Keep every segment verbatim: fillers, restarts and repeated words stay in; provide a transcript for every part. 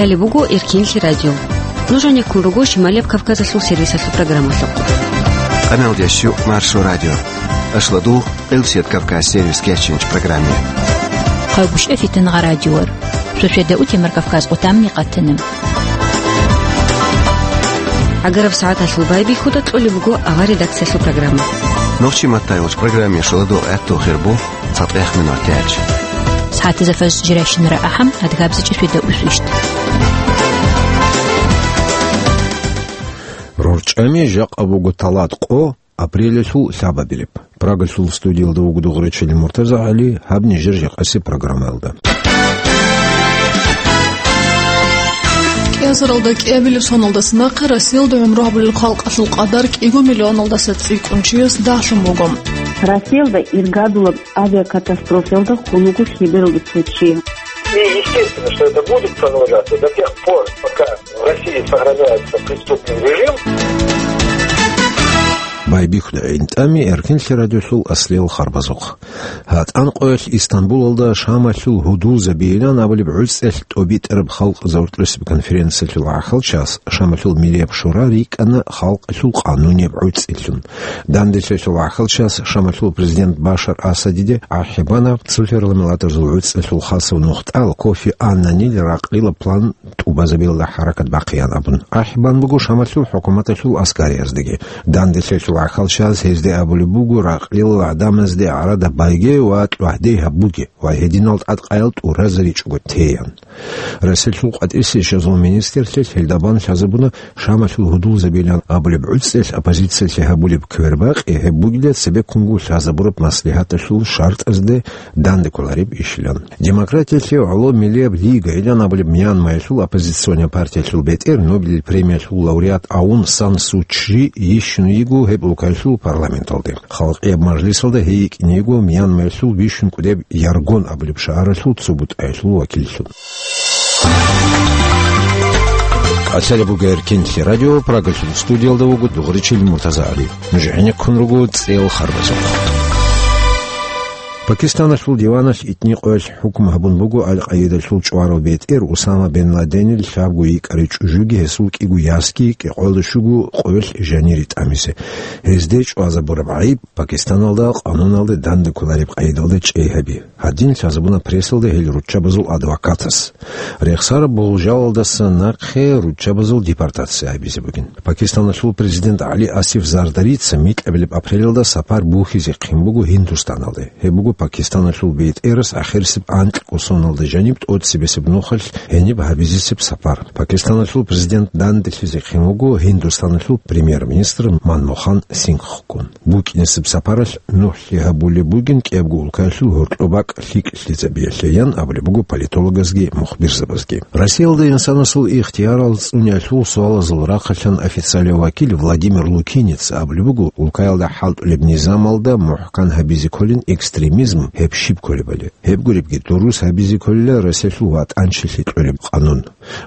Гьале буго Эркинлъи радио. Нуж гӀенеккун руго Шималияб Кавказалъул сервисалъул программалъухъ. Къамелдеш юкъ Маршо радио. Ашладу Къилсият Кавказ сервис кечинч программе. Хъагуш эфитан гъа радиор. Сосведа утемар Кавказ отамни къатана. Агараб сагӀаталъул байбихьуда кьолеб буго авар редакциялъул программа. Нохчи маттайолч программе шуладо гӀатту хирбу. ЦатӀех минут тяч. СагӀатазда фаз жирайщинара ахӀам, адгабзичӀи светда усвищт. РорчӀами жакъа буго талат къо апрелалъул лъабабилеб. Прагалъул студиялда вуго дугъричили Муртаза ГӀали, гьаб нижер жакъаси программаялда. КӀиазаралда кӀиабилеб соналдаса нахъе Россиялда гӀумру гьабулел халкъалъул къадар кӀиго миллионалдаса цӀикӀкӀун чияс дагьлъун буго. Россиялда иргадулаб авиакатастрофаялда хун вуго лъебералда цо чи. И естественно, что это будет продолжаться до тех пор, пока в России сохраняется преступный режим. Байбихьуда гӀинтӀами Эркинлъи радиолъул аслиял харбазухъ. ГьатӀан къоялъ Истанбулалда Шамалъул гьудулзабийилан абулеб гӀуцӀиялъ тӀобитӀараб халкъ загьурлъисеб конференциялъул гӀахьалчас Шамалъул Миллияб шура рикӀкӀана халкъалъул къанунияб гӀуцӀилъун. Данделъиялъул гӀахьалчас Шамалъул президент Башар Асадиде ахӀи бана цо парламентаризул гӀуцӀиялъул хасав нухтӀал Кофи Аннанил ракълила план тӀубазабиялда хӀаракат бахъеян абун. АхӀи бан буго Шамалъул хӀукуматалъул аскарияздаги. Данделъиялъул гӀахьалчас гьезде абулеб буго ракълила гӀадамазде гӀарадаби байге ва тӀагӀди гьабуге ва гьединал тӀадкъаял тӀуразаричӀого теян. Россиялъул къватӀире щвезул министрлъи гьелда бан лъазабуна Шамалъул гьудулзабилан абулеб гӀуцӀиялъ оппозициялъе гьабулеб квербакъи гьеб бугила цебеккунго лъазабураб маслихӀаталъул шартӀазде данде кколареб ишилан. Демократиялъе гӀоло Миллияб лигайилан абулеб Мьянмаялъул оппозиционный партиялъул бетӀер, Нобелил премиялъул лауреат Аун Сан Су Чжи йищун йиго гьеб улкаялъул парламенталде. Халкъияб мажлисалда гьей йикӀине йиго Мьянмаялъул бищун кӀудеб Яргон абулеб шагьаралъул цо бутӀаялъул вакиллъун. Къачалеб буго Эркинлъи радио, Прагалъул студиялда вуго дугъричил Муртаза ГӀали. Нуж гӀенеккун руго цӀел харбазухъ. Пакистаналъул диваналъ итни къоялъ хӀукму гьабун буго Аль-Къаидалъул чӀварав бетӀер Усама бен Ладенил лъабго йикӀарай чӀужуги гьесул кӀиго ясги кӀикъоялда щуго къоялъ жанире тӀамизе. Гьезде чӀвазабураб гӀайиб Пакистаналда къануналде данде кколареб къайдалда чӀей гьаби. Гьадин лъазабуна прессалда гьел руччабазул адвокатас. Рехсараб болжалалдаса нахъе руччабазул депортация гьабизе бугин. Пакистаналъул президент ГӀали Асиф Зардарица микьабилеб апрелалда сапар бухьизе хъин буго Гьиндустаналде. Гьеб буго Пакистаналъул бетӀерас ахирисеб анкьго соналда жаниб тӀоцебесеб нухалъ гьениб гьабизесеб сапар. Пакистаналъул президент данделъизе хъин вуго Гьиндустаналъул премьер-министр Манмохан Сингхгун. БукӀинесеб сапаралъ нухлъи гьабулеб бугин кӀиябго улкаялъул гьоркьоб бакӀ лъикӀлъизабиялъе, ян абулеб буго политологазги мухбирзабазги. Россиялда инсанасул ихтиярал цӀуниялъул суалазул рахъалъан официалияв вакил Владимир Лукинец абулеб буго, улкаялда хӀалтӀулеб низамалда мухӀкан гьабизе кколин экстремизм гьеб щиб кколебали. Гьеб гуребги, дурус гьабизе кколила Россиялъул ватӀанчилъи кьолеб къанун.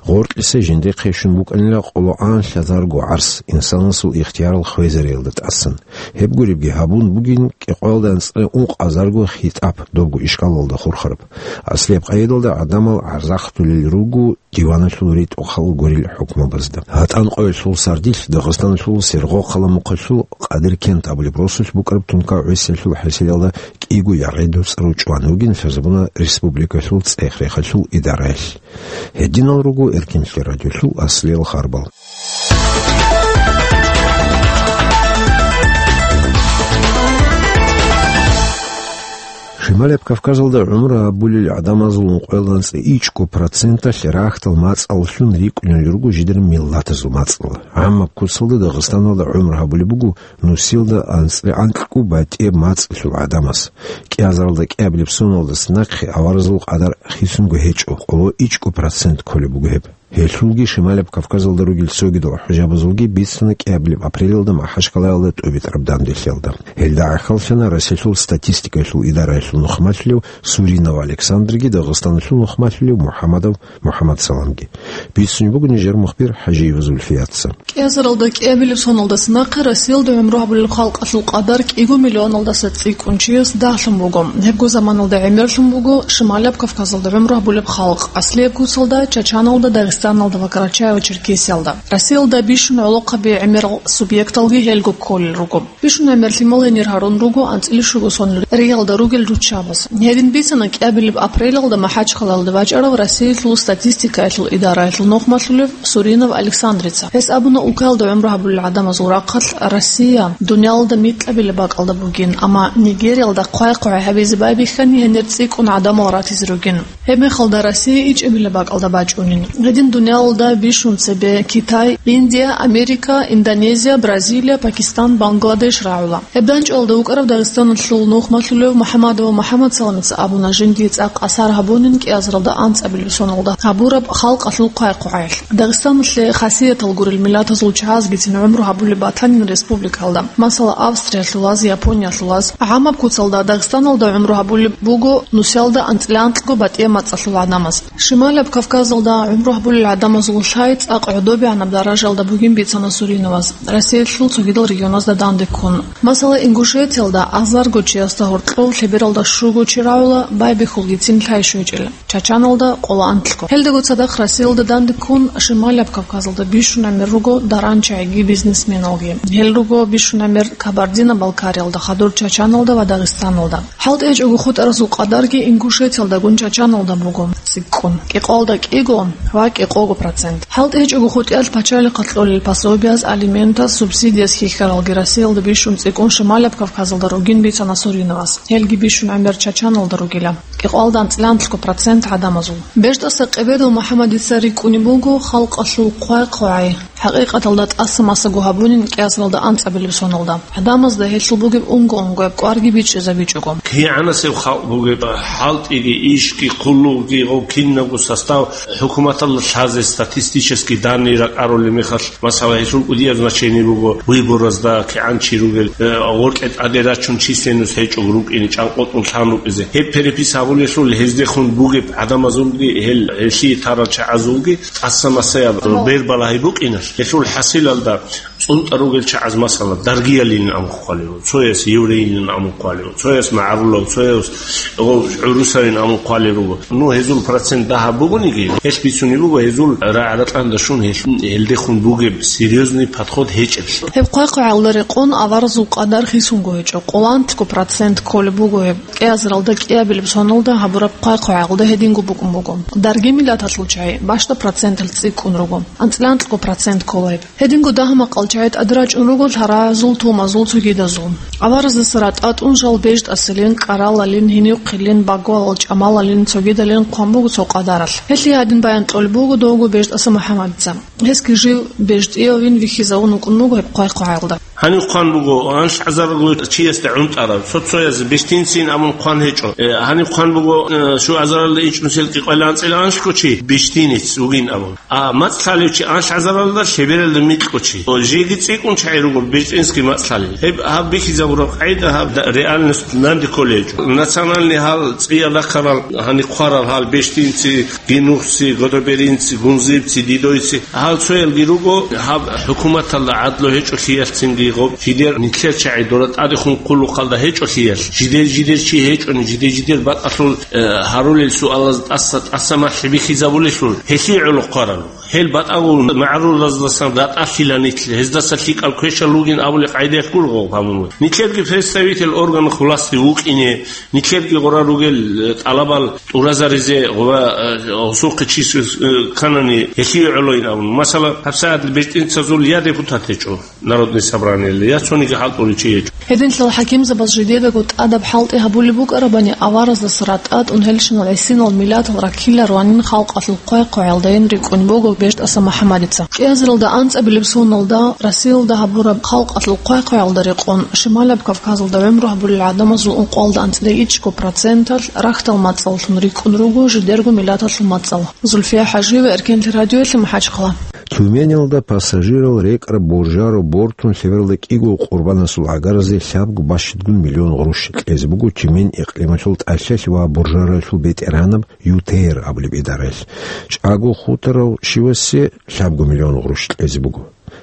Гъоркьиса жиндихъе щун букӀанила къоло анлъазарго гӀарс инсанасул ихтиярал хвезариялда тӀасан. Гьеб гуребги гьабун бугин кӀикъоялда анцӀила ункъазарго хитӀаб, добго ишкалалда хурхараб. Аслияб къайдалда гӀадамал гӀарзахъдулел руго диваналъул ритӀухъал гурел хӀукмабазда. ГьатӀан къоялъул сардилъ Дагъистаналъул Сергокъала мухъалъул Къадиркент абулеб росулъ букӀараб тункав гӀисалъул хӀисиялда кӀиго ягъи дуцӀарав чӀван вугин лъазабуна республикалъул цӀех-рехалъул идараялъ. Гьединал руго Эркинлъи радиолъул аслиял харбал. Шималияб Кавказалда гӀумру гьабулел гӀадамазул ункъоялда анцӀила ичӀго проценталъ рагьтал мацӀаллъун рикӀкӀунел руго жидер миллатазул мацӀал. ГӀаммаб куцалда Дагъистаналда гӀумру гьабулеб буго нусилда анцӀила анкьго батӀияб мацӀалъул гӀадамаз. КӀиазаралда кӀиабилеб соналдаса нахъе аваразул къадар хисунго гьечӀо, къоло ичӀго процент кколеб буго гьеб. Гьелъулги Шималияб Кавказалда ругел цогидал хӀужабазулги бицана кӀиабилеб апрелалда МахӀачкъалаялда тӀубитӀараб данделъиялда. Гьелда гӀахьаллъана Россиялъул статистикаялъул идараялъул нухмалъулев Суринов Александрги Дагъистаналъул нухмалъулев МухӀамадов МухӀамадсаламги. Бицунеб буго нижер мухбир ХӀажиева Зульфияца. КӀиазаралда кӀиабилеб соналдаса нахъе Россиялда гӀумру гьабулел халкъалъул къадар кӀиго миллионалдаса цӀикӀкӀун чияс дагьлъун буго. Гьебго заманалда гӀемерлъун буго Шималияб Кавказалда гӀумру гьабулеб халкъ, аслияб куцалда Чачаналда, Дагъистаналда, Дагъистаналда ва Карачаево-Черкесиялда. Россиялда бищун гӀолохъаби гӀемерал субъекталги гьелго кколел руго. Бищун гӀемер лъимал гьенир гьарун руго анцӀила щуго сон риялда ругел руччабаз. Гьедин бицана кӀиабилеб апрелалда МахӀачхъалаялда бачӀарав Россиялъул статистикаялъул идараялъул нухмалъулев Суринов Александрица. Гьес абуна, улкаялда гӀумру гьабулел гӀадамазул рахъалъ Россия дуниялалда микьабилеб бакӀалда бугин, амма Нигериялда хъвай-хъвай гьабизе байбихьани гьенир цӀикӀкӀун гӀадамал ратизе ругин. Гьеб мехалда Россия ичӀабилеб бакӀалда бачӀунин. Гьедин дуниялалда бищун цебе Китай, Индия, Америка, Индонезия, Бразилия, Пакистан, Бангладеш рагӀула. Гьеб данчӀвалда вукӀарав Дагъистаналъул нухмалъулев МухӀаммадов МухӀаммадсаламица абуна, жиндие цӀакъ асар гьабунин кӀиазаралда анцӀабилеб соналда гьабураб халкъалъул хъвай-хъвагӀаялъ. Дагъистаналъе хасиятал гурел миллатазул чагӀазгицин гӀумру гьабулеб батанин республикалда, масала, Австриялъулаз, Япониялъулаз. ГӀамаб куцалда Дагъистаналда гӀумру гьабулеб буго нусиялда анцӀила анкьго батӀияб мацӀалъул гӀадамаз. Шималаб Кавказалда гӀумру гьабулел гӀадамазул лъай цӀакъ гӀодобегӀанаб даражалда бугин бицана Суриноваз, Россиялъул цогидал регионазда данде ккун. Масала, Ингушетиялда азарго чиясда гьоркьов лъебералда щуго чи рагӀула байбихьулгицин лъай щвечӀел, Чачаналда къоло анлъго. Гьелдаго цадахъ Россиялда данде ккун Шималаб Кавказалда бищун гӀемер руго даран чагӀиги бизнесменалги. Гьел руго бищун гӀемер Кабардино-Балкариялда, хадур Чачаналда ва Дагъистаналда. ХӀалтӀи гьечӀого хутӀаразул къадарги Ингушетиялдагун Чачаналда буго цӀикӀкӀун, кӀикъоялда кӀиго ва кӀикъого процент. ХӀалтӀи гьечӀого хутӀиялъ пачалихъалъ кьолел пособияз, алиментаз, субсидияз хьихьаралги Россиялда бищун цӀикӀкӀун Шималаб Кавказалда ругин бицана Суриновас. Гьелги бищун гӀемер Чачаналда ругила, кӀикъоялда анцӀила анлъго процент гӀадамазул. БежтӀаса Къебедов МухӀаммадица рикӀкӀунеб буго халкъалъул хъвай-хъвагӀай. ХӀакъикъаталда тӀаса-масаго гьабунин кӀиазаралда анцӀабилеб соналда. ГӀадамазда гьелъул бугеб унго-унгояб кӀварги бичӀчӀизабичӀого. КигӀанасеб халкъ бугеб, хӀалтӀиги, ишги, хъулухъги, гъов кинабго состав хӀукуматалда лъазе статистический данные ракӀарулеб мехалъ, масала, гьелъул кӀудияб значение буго выборазда, кигӀан чи ругел, э, гъоркье тӀаде рачун численность гьечӀого рукӀине, чӀанкъотӀун лъан рукӀизе. Гьеб перепись гьабулелъул гьездехун бугеб гӀадамазулги, гьел, гьелъие тарал чагӀазулги тӀаса-масаяб бер балагьи букӀиналъ, гьелъул хӀасилалда цӀунтӀа ругел чагӀаз, масала, даргиялин амухъ хъвалев, цояс еврейилин амухъ хъвалев, цояс магӀарулав, цояс гъо-, гӀурусалин амухъ хъвалел руго. Ну, гьезул процент дагьаб бугониги, гьелъ бицунеб буго гьезул рагӀ-ратӀанда щун гьел-, гьелдехун бугеб серьёзный подход гьечӀеблъи. Гьеб хъвай-хъвагӀалда рекъон аваразул къадар хисунго гьечӀо, къоло анлъго процент кколеб буго гьеб. КӀиазаралда кӀиабилеб соналда гьабураб хъвай-хъвагӀалда гьединго букӀун буго. Дарги миллаталъул чагӀи бащда проценталъ цӀикӀкӀун руго, анцӀила анлъго процент ккола гьеб. Гьединго дагьа-макъал чагӀи тӀаде рачӀун руго лъаразул, тумазул, цогидазул. Авараздаса ратӀа тӀун жал бежтӀасилин, кӀаралалин, гьинивхъилин, багвалал, чӀамалалин, цогидалин хъван буго цо къадаралъ. Гьелъие гьадин баян кьолеб буго довго БежтӀаса МухӀаммадица. Гьесги жив бежтӀиявин вихьизавун вукӀун вуго гьеб хъвай-хъвагӀалда. Гьанив хъван буго анлъ гӀазаралго чиясда гӀунтӀараб, цо-цояз бежтинцин абун хъван гьечӀо. Э, гьанив хъван буго, э, щу гӀазаралда ичӀнусел кӀикъоялда анцӀила анлъго чи бежтинец вугин абун. А мацӀ лъалев чи анлъ гӀазаралда лъебералда микьго чи. О, жеги цӀикӀкӀун чагӀи руго бежтинский мацӀ лъалел. Гьеб гьаб бихьизабураб къагӀида гьаб да-, реальность данде кколей гьечӀо. Национальный гьал цӀиялда ккарал, гьанив хъварал гьал бежтинци, гинухци, годоберинци, гунзибци, дидойци. Гьал цоялги руго, гьаб хӀукуматалда гӀадлу гьечӀолъиялъцинги гъоб, жидер нилъер чагӀи дора тӀадехун хъулухъалда гьечӀолъиялъ, жидер-жидер чи гьечӀони, жидер-жидер батӀалъул, э, гьарулел суалаз тӀаса-тӀаса малъи бихьизабулелъул, гьелъие гӀоло хъварал. Гьел батӀагул магӀарулаздасан ратӀалъила нилъ, гьездаса лъикӀал квешал ругин абулеб къайдаялъ гуро гъоб гьабун. Нилъерги представитель органов власти вукӀине, нилъерги гъора ругел, э, тӀалабал тӀуразаризе ва, э, гъосухъе чис, э, кканани, гьелъие гӀолойин абун. Масала, гьабсагӀат бежтӀинцазул я депутат гьечӀо Народный собраниялда, я цониги хӀалтӀулев чи гьечӀо. Гьединлъал хӀакимзабаз жидедаго тӀадаб хӀалтӀи гьабулеб букӀарабани, авараздаса ратӀа тӀун гьелщинал гӀисинал миллатал раккиларуанин халкъалъул хъвай-хъвагӀалдайин рикӀкӀун буго БежтӀаса МухӀаммадица. КӀиазаралда анцӀабилеб соналда Россиялда гьабураб халкъалъул хъвай-хъвагӀалда рекъон, Шималаб Кавказалда гӀумру гьабулел гӀадамазул ункъоялда анцӀила ичӀго проценталъ рахьдал мацӀаллъун рикӀкӀун руго жидерго миллаталъул мацӀал. Зульфия ХӀажиева, Эркенлъи радиоялъ, МахӀачхъала. Тюменалда пассажирал рекӀараб боржарав бортун лъебералда кӀиго къурбанасул гӀагаразе лъабго бащадгун миллион гъруш кьезе буго Тюмень икълималъул тӀалъалъи ва боржаралъул бетӀергьанаб ЮТР абулеб идараялъ. ЧӀаго хутарав щивасе лъабго миллион гъруш кьезе буго.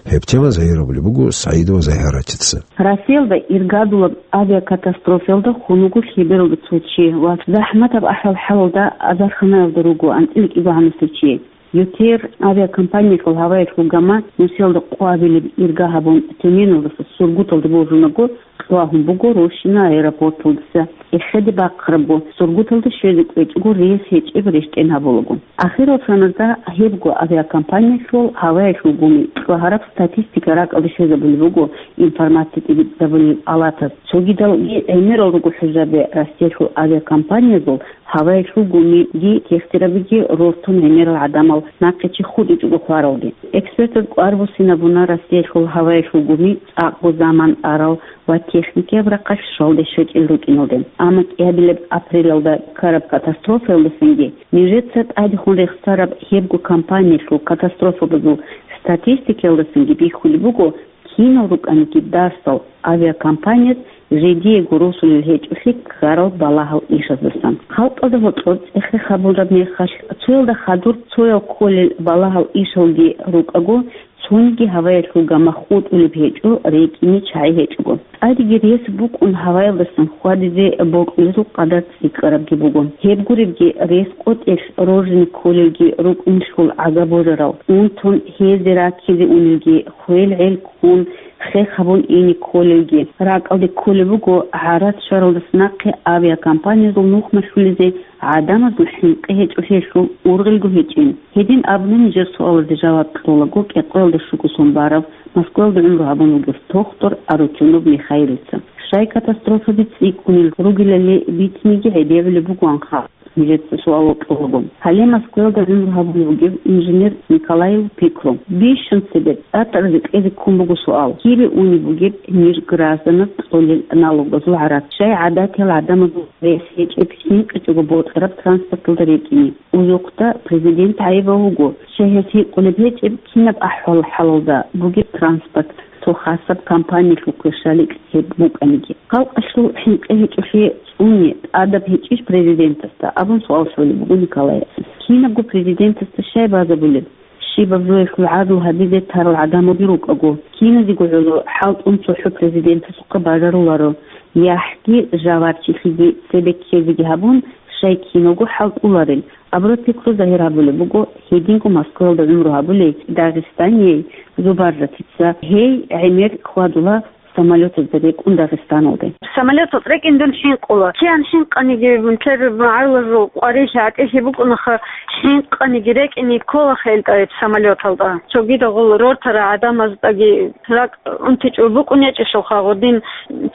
Гьеб тема загьирабулеб буго СагӀидова Загьаратица. Россиялда иргадулаб авиакатастрофаялда хун вуго лъебералда цо чи ва захӀматаб ахӀвал-хӀалалда азарханаялда руго анцӀила кӀиго гӀанасев чи. ЮТР авиакомпаниялъул гьаваялъул гама нусиялда къвабилеб ирга гьабун Тюменалдаса Сургуталде божунаго, кьвагьун буго Рощино аэропорталдаса. Эхеде бахъарабго, Сургуталде щвезе кӀвечӀого рейс гьечӀеб рещтӀен гьабулаго. Ахирал соналда гьебго авиакомпаниялъул гьаваялъул гуми кьвагьараб статистика ракӀалде щвезабулеб буго информация тӀибитӀизабулел палатаз. Цогидалги гӀемерал руго хӀужаби Россиялъул авиакомпаниязул гьаваялъул гумиги техтарабиги рортун гӀемерал гӀадамал нахъе чи хутӀичӀого хваралде. Экспертаз кӀвар буссинабуна Россиялъул гьаваялъул гуми цӀакъго заман арал ва техникияб рахъалъ щвалде щвечӀел рукӀиналде. Амма кӀиабилеб апрелалда ккараб катастрофаялдасанги, нижеца тӀадехун рехсараб гьебго компаниялъул катастрофабазул статистикаялдасанги бихьулеб буго, кинал рукӀаниги дарсал авиакомпаниялъ жидеего росулел гьечӀолъи ккарал балагьал ишаздасан. Халкъалда гьоркьор цӀех-рех гьабураб мехалъ, цоялда хадур цоял кколел балагьал ишалги рукӀаго, цониги гьаваялъул гама хутӀулеб гьечӀо, рекӀине чагӀи гьечӀого. ТӀадеги рес букӀун гьаваялдасан хьвадизе бокьулезул къадар цӀикӀкӀарабги буго. Гьеб гуребги, рес къотӀелъ роржине кколелги рукӀунелъул гӀага божарал, унтун гьезде раккизе унелги, хвел-гӀел ккун, хех гьабун ине кколелги. РакӀалде кколеб буго гӀарацӀ щваралдаса нахъе авиакомпаниязул нухмалъулезе гӀадамазул хӀинкъи гьечӀолъиялъул ургъелго гьечӀин. Гьедин абуни нижер суалазде жаваб кьолаго кӀикъоялда щуго сон барав, Москваялда гӀумру гьабун вугев тохтор Арутюнов Михаилица. Щай катастрофаби цӀикӀкӀунел ругелали бицинеги гӀедегӀулеб бугоан халкъ, нижеца суал кьолаго. Гьале Москваялда гӀумру гьабун вугев инженер Николаев Пикро. Бищун цебе цӀакъ рекӀезе ккун буго суал: кибе унеб бугеб ниж гражданаз кьолел налогазул гӀарац, щай гӀадатиял гӀадамазул рес гьечӀеб хӀинкъичӀого бокьараб транспорталда рекӀине? Узухъда президент гӀайибав вуго, щай гьес гьикъулеб гьечӀеб, кинаб ахӀвал-хӀалалда бугеб транспорт цо хасаб компаниялъухъе щаликь гьеб букӀаниги. Халкъалъул хӀинкъи гьечӀолъи цӀуне тӀадаб гьечӀищ президентасда абун суал лъолеб буго Николаевица. Кинабго президентасда щай базабулеб? Щибаб жоялъул гӀадлу гьабизе тарал гӀадамалги рукӀаго, киназего гӀоло хӀалтӀун цохӀо президентасухъа бажаруларо, яхӀги жавабчилъиги цебе ккезеги гьабун, щай киналго хӀалтӀуларел. Абураб пикру загьир гьабулеб буго гьединго Москваялда гӀумру гьабулей дагъистанияй Зубаржатица. Гьей гӀемер хьвадула самолетазда рекӀун Дагъистаналде. Самолеталда рекӀин дун хӀинкъула. Киян хӀинкъаниги, нилъер магӀарулазул къварилъи гӀатӀилъи букӀунаха, хӀинкъаниги рекӀине кколаха гьел тӀаиб самолеталда. Цогидал гъол рортарал гӀадамаздеги ракӀ унтичӀого букӀун гьечӀелъулха, гъодин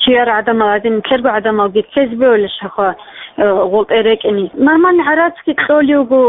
чияр гӀадамал гьадин, нилъерго гӀадамалги ккезе бегьулелъулха, э, гъолтӀе рекӀине. Нормальный гӀарацги кьолев вуго,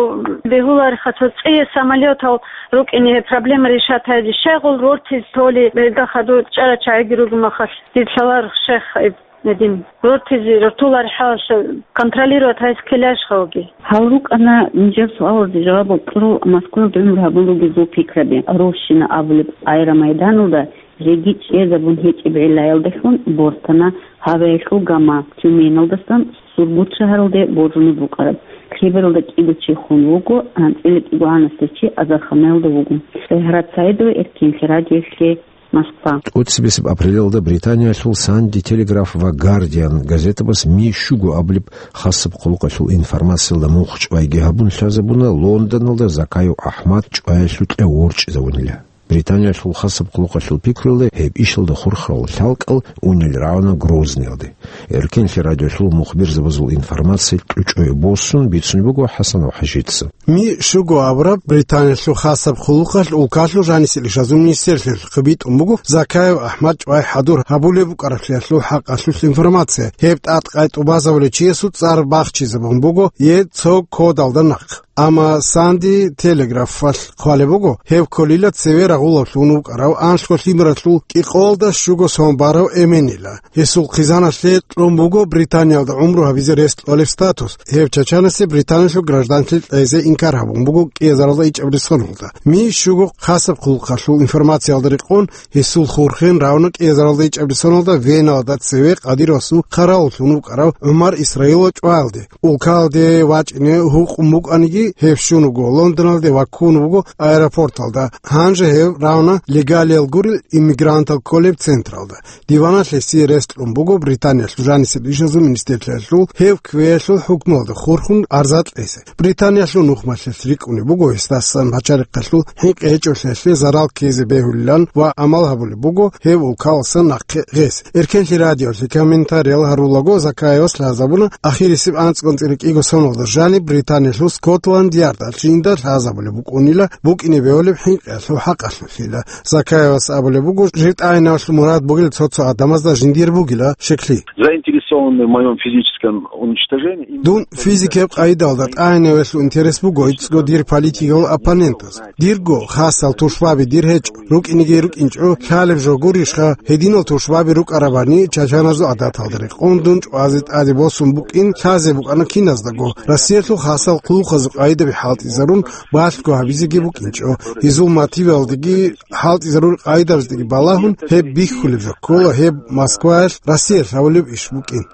бегьулареха, цо цӀие самолетал рукӀине гьеб проблема решать гьазе. Щай гъол рортизе толи, гьелда хадур чӀарал чагӀиги ругеб мехалъ, дир лъаларо, шайх, гьеб гьедин рортизе, рортулареб хӀалалъ контролировать гьазе ккеларищха гьоги? Гьал рукӀана нижер суалазде жаваб кьурал Москваялда гӀумру гьабун ругезул пикраби. Рощино абулеб аэромайданалда жеги чӀезабун гьечӀеб гӀиллаялдалъун бортана гьаваялъул гама Тюменалдасан Сургут шагьаралде божунеб букӀараб. Лъебералда кӀиго чи хун вуго, анцӀила кӀигогӀанасда чи азарханаялда вуго. СагӀид Саидова, Эркенлъи радиоялъе, Москва. ТӀоцебесеб апрелалда Британиялъул Санди Телеграф ва Гардиан газетабаз Ми щуго абулеб хасаб хъулухъалъул информациялда мухъ чӀвайги гьабун лъазабуна Лондоналда Закаев АхӀмад чӀваялъул кьев ворчӀизавунила. Британиялъул хасаб хъулухъалъул пикруялда гьеб ишалда хурхарал лъалкӀал унел рагӀуна Грозныйалде. Эркенлъи радиолъул мухбирзабазул информация кьучӀое босун бицунеб буго ХӀасанов ХӀажица. Ми щуго абураб Британиялъул хасаб хъулухъалъ улкалъул жанисел ишазул министрлъиялъухъе битӀун буго Закаев АхӀмад чӀвай хӀадур гьабулеб букӀараблъиялъул хӀакъалъулъ информация. Гьеб тӀадкъай тӀубазабулев чиясул цӀар бахчизабун буго е цо кодалда нахъ. Амма Санди Телеграфалъ хъвалеб буго, гьеб кколила цеве рагъулавлъун вукӀарав анлъго лъимералъул кӀикъоялда щуго сон барав эменила. Гьесул хъизаналъе кьун буго Британиялда гӀумру гьабизе рес кьолеб статус. Гьев чачанасе Британиялъул гражданлъи кьезе инкар гьабун буго кӀиазаралда ичӀабилеб соналда. Ми щуго хасаб хъулухъалъул информациялда рекъон, гьесул хурхен рагӀуна кӀиазаралда ичӀабилеб соналда Веналда цеве Кадыровасул хъаравуллъун вукӀарав ГӀумар Исраилов чӀваялде. Улкалде вачӀине гьукъун букӀаниги, Гьев щун вуго Лондоналде ва ккун вуго аэропорталда. Гьанже гьев равна легалиял гурел иммигрантал кколеб централда. Диваналъ гьесие рес кьун буго Британиялъул жанисеб ишазул министрлъиялъул гьев кквеялъул хӀукмуялда хурхун арза кьезе. Британиялъул нухмалъилъ рикӀкӀунеб буго гьесдасан пачарихъалъул хӀинкъи гьечӀолъиялъе зарал ккезе бегьулилан ва амал гьабулеб буго гьев улкаласан нахъе гъез. Эркенлъи радиолъе комментариял гьарулаго Закаевас лъазабуна ахирисеб анцӀгун цӀирикӀиго соналда жаниб Британиялъул Скотланд-Ярдалъ жинда лъазабулеб букӀунила букӀине бегьулеб хӀинкъиялъул хӀакъалъулъила. Закаевас абулеб буго, жив тӀагӀинавалъул мурад бугел цо-цо гӀадамазда жиндир бугила шеклъи. Заинтересованы в моём физическом уничтожении именно... Дун физикияб къайдалда тӀагӀинавелъул интерес буго иццго дир политикал оппонентаз. Дирго хасал тушбаби дир гьечӀо, рукӀинеги рукӀинчӀо, лъалеб жо гурищха, гьединал тушбаби рукӀарабани чачаназул гӀадаталда рекъон дун чӀвазе тӀаде босун букӀин лъазе букӀана киназдаго. Россиялъул хасал хъулухъазул къайдаби хӀалтӀизарун балъго гьабизеги букӀинчӀо. Гьезул мотивалдеги хӀалтӀизарурел къайдабаздеги балагьун, гьеб бихьулеб жо ккола, гьеб Москваялъ Россиялъ гьабулеб иш букӀин.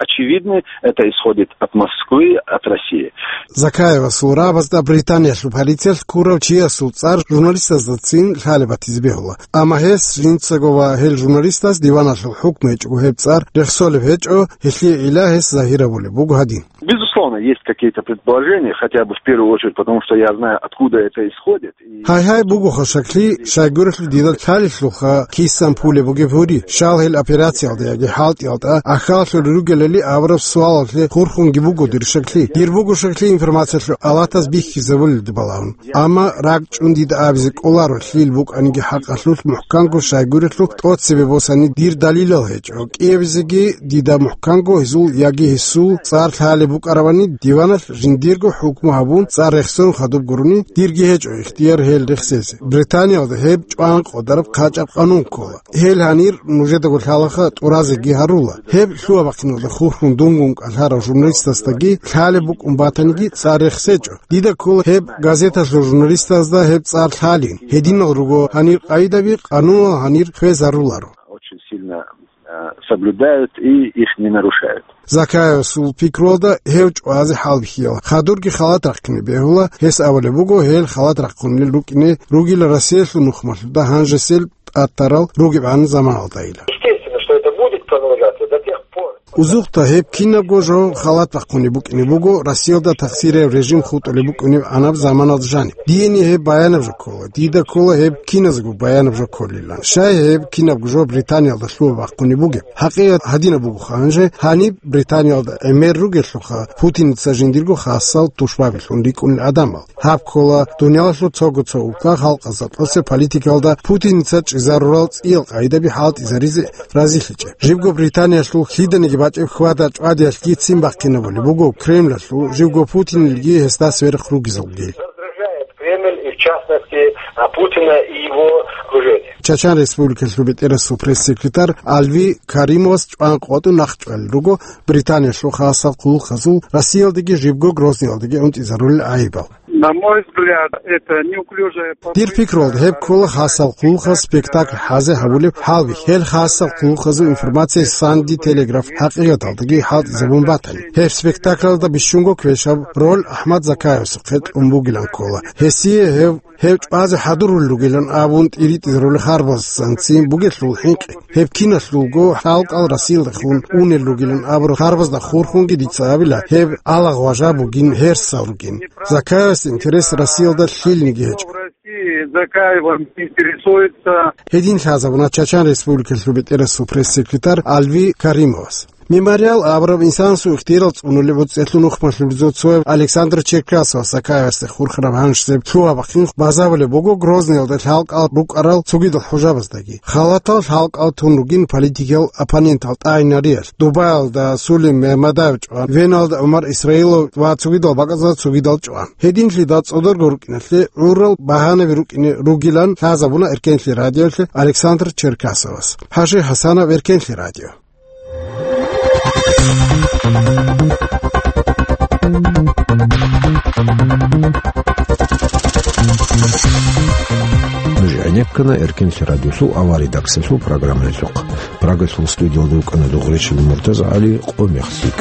Очевидно, это исходит от Москвы, от России. Закаевасул рагӀабазда Британиялъул полициялъ ккурав чиясул цӀар журналистаздацин лъалеб батизе бегьула. Амма гьес жинцаго ва гьел журналистаз диваналъул хӀукму гьечӀого гьеб цӀар рехсолеб гьечӀо, гьелъие ила гьес загьир гьабулеб буго гьадин. Безусловно, есть какие-то предположения, хотя бы в первую очередь, потому что я знаю, откуда это исходит. Гьай-гьай, бугоха шаклъи, щайгурелъул дида лъалелъулха кисан пулеб бугеб гьури, щал гьел операциялда яги хӀалтӀиялда ахьаллъулел ругелали абураб суалалъе хурхунги буго дир шаклъи. Дир буго шаклъи информациялъул алатаз бихьизабулелда балагьун. Амма ракӀчӀун дида абизе кӀоларо лъил букӀаниги хӀакъалъулъ мухӀканго щайгурелъул тӀоцебе босани дир далилал гьечӀо. КӀиабизеги дида мухӀканго гьезул яги гьесул цӀар лъалеб букӀарабани диваналъ жиндирго хӀукму гьабун цӀар рехсон хадуб гурони, дирги гьечӀо ихтияр гьел рехсезе. Британиялда гьеб чӀван къодараб хъачӀаб къанун ккола. Гьел гьанир нужедаго лъалаха тӀуразеги гьарула. Гьеб лъугьа-бахъиналда хурхун дунгун кӀалъарав журналистасдаги лъалеб букӀун батаниги цӀар рехсечӀо. Дида ккола гьеб газеталъул журналистазда гьеб цӀар лъалин. Гьединал руго гьанир къайдаби, къануналъ гьанир хвезаруларо. Очень сильно, э, соблюдают и их не нарушают. Закаевасул пикруялда гьев чӀвазе хӀалбихьила. Хадурги халат рахъине бегьула, гьес абулеб буго, гьел халат рахъунел рукӀине ругила Россиялъул нухмалъуда гьанжесел тӀатарал ругебгӀан заманалдайила. Естественно, что это будет продолжаться до тех пор. Узухъда гьеб кинабго жо халат бахъунеб букӀине буго, Россиялда тахсираб режим хутӀулеб букӀунеб гӀанаб заманалда жаниб. Диени гьеб баянаб жо ккола, дида ккола гьеб киназго баянаб жо кколилан. Щай гьеб кинабго жо Британиялда лъугьа бахъунеб бугеб? ХӀакъикъат гьадинаб бугоха гьанже, гьаниб Британиялда гӀемер ругелъулха, Путиница жиндирго хасал тушбабилъун рикӀкӀунел гӀадамал. Гьаб ккола дуниялалъул цого-цо улкал халкъазда тӀоцеб политикалда Путиница чӀезарурал цӀиял къайдаби хӀалтӀизаризе разилъичӀеб. Жибго Британиялъул лъиданиги бачӀеб хьвада-чӀвадиялъги ццин бахъинабулеб буго Кремлалъул, жибго Путинилги гьесда сверухъ ругезулги. Раздражает Кремль и, в частности, а, Путина и его окружение. Чачан Республикалъул бетӀерасул пресс-секретарь Алви Каримовас чӀван къотӀун нахъчӀвалел руго Британиялъул хасал хъулухъазул Россиялдаги жибго Грозныйялдаги унтӀизарулел гӀайибал. На мой взгляд, это неуклюжая попытка... Дир пикруялда, гьеб ккола хасал хъулухъаз спектакль хӀазе гьабулеб хӀалбихь. Гьел хасал хъулухъазул информация Санди Телеграф хӀакъикъаталдаги хӀалтӀизабун батани. Гьеб спектаклалда бищунго квешаб роль АхӀмад Закаевасухъе кьун бугилан ккола. Гьесие гьев, гьев чӀвазе хӀадурулел ругилан абун тӀиритӀизарулел харбазцин бугелъул хӀинкъи. Гьеб киналъулго халкъал Россиялдехун унел ругилан абураб харбазда хурхунги дица абила, гьеб алагъважа бугин, гьерсал ругин. Закаевас интерес Россиялда лъилниги гьечӀо. России Закаевым интересуется. Гьедин лъазабуна Чачан Республикалъул бетӀерасул пресс-секретарь Алви Каримовас. Мемориал абураб инсанасул ихтияр цӀунулеб гӀуцӀелъул нухмалъулъ цояв Александр Черкасовас Закаевасде хурхараб гьанжесеб лъугьа-бахъин базабулеб буго Грозныйалда лъалкӀал рукӀарал цогидал хӀужабаздаги. Халатал лъалкӀал тун ругин политикиял оппонентал тӀагӀинариялъ, Дубаялда Сулим Мегьмадаев чӀван, Веналда ГӀумар Исраилов ва цогидал бакӀазда цогидал чӀван. Гьединлъидал цӀодорго рукӀиналъе гӀурал багьанаби рукӀине ругилан лъазабуна Эркенлъи радиолъе Александр Черкасовас. ХӀажи ХӀасанов, Эркенлъи радио. Нуж гӀенеккана Эркенлъи радиолъул аваридаксалъул программаялъухъ. Прагалъул студиялда вукӀана Дугъришин МуртазагӀали, къо мехлъи.